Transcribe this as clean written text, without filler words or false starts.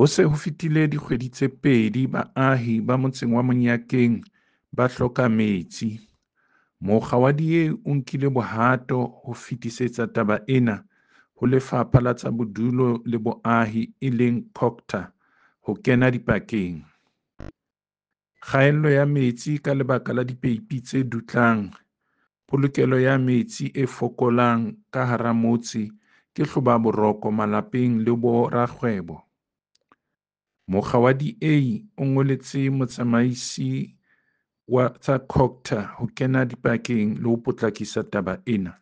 Ho se ho fetile dikgwedi tse pedi baahi ba motseng wa Monyakeng ba hloka metsi. Mokga wa DA o nkile bohato ho fetisetsa taba ena ho Lefapha la tsa Bodulo le Boahi e leng COGTA ho kena dipakeng. Kgaello ya metsi ka lebaka la dipeipi tse dutlang, polokelo ya metsi e fokolang ka hara motse ke hlobaboroko malapeng le bo rakgwebo. Mokga wa DA o ngoletse motsamaisi wa tsa COGTA ho kena dipakeng le ho potlakisa taba ena.